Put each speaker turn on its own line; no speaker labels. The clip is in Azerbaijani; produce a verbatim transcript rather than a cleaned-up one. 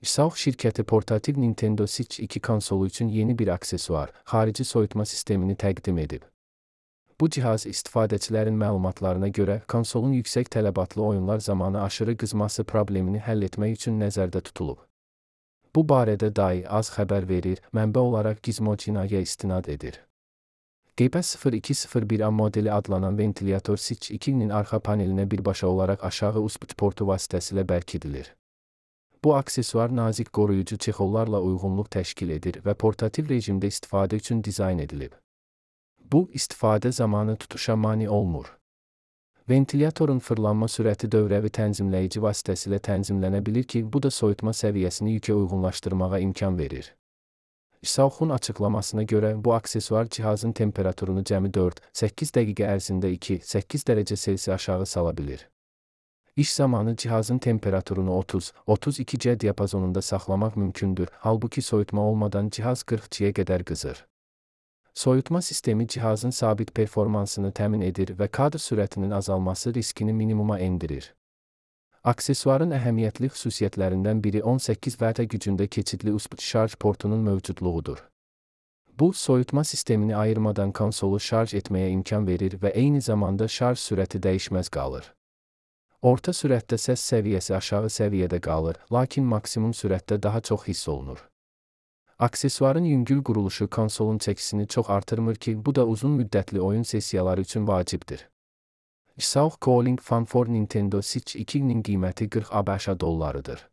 Xiaomi şirkəti portativ Nintendo Switch iki konsolu üçün yeni bir aksesuar, xarici soyutma sistemini təqdim edib. Bu cihaz istifadəçilərin məlumatlarına görə konsolun yüksək tələbatlı oyunlar zamanı aşırı qızması problemini həll etmək üçün nəzərdə tutulub. Bu barədə dahi az xəbər verir, mənbə olaraq Gizmodo-ya istinad edir. G P sıfır iki sıfır bir A modeli adlanan ventilyator Switch ikinin arxa panelinə birbaşa olaraq aşağı U S B portu vasitəsilə bərkidilir. Bu aksesuar nazik qoruyucu çexollarla uyğunluq təşkil edir və portativ rejimdə istifadə üçün dizayn edilib. Bu, istifadə zamanı tutuşa mane olmur. Ventilyatorun fırlanma sürəti dövrəvi tənzimləyici vasitəsilə tənzimlənə bilir ki, bu da soyutma səviyyəsini yükə uyğunlaşdırmağa imkan verir. Xiaomi'nin açıqlamasına görə bu aksesuar cihazın temperaturunu cəmi dörd səkkiz dəqiqə ərzində iki səkkiz dərəcə Selsi aşağı sala bilir. İş zamanı cihazın temperaturunu otuz otuz iki C diapazonunda saxlamaq mümkündür, halbuki soyutma olmadan cihaz qırx C'yə qədər qızır. Soyutma sistemi cihazın sabit performansını təmin edir və kadr sürətinin azalması riskini minimuma endirir. Aksesuarın əhəmiyyətli xüsusiyyətlərindən biri on səkkiz vət gücündə keçidli U S B şarj portunun mövcudluğudur. Bu, soyutma sistemini ayırmadan konsolu şarj etməyə imkan verir və eyni zamanda şarj sürəti dəyişməz qalır. Orta sürətdə səs səviyyəsi aşağı səviyyədə qalır, lakin maksimum sürətdə daha çox hiss olunur. Aksesuarın yüngül quruluşu konsolun çəkisini çox artırmır ki, bu da uzun müddətli oyun sessiyaları üçün vacibdir. Xiaomi Calling Fan for Nintendo Switch ikinin qiyməti qırx ABŞ dollarıdır.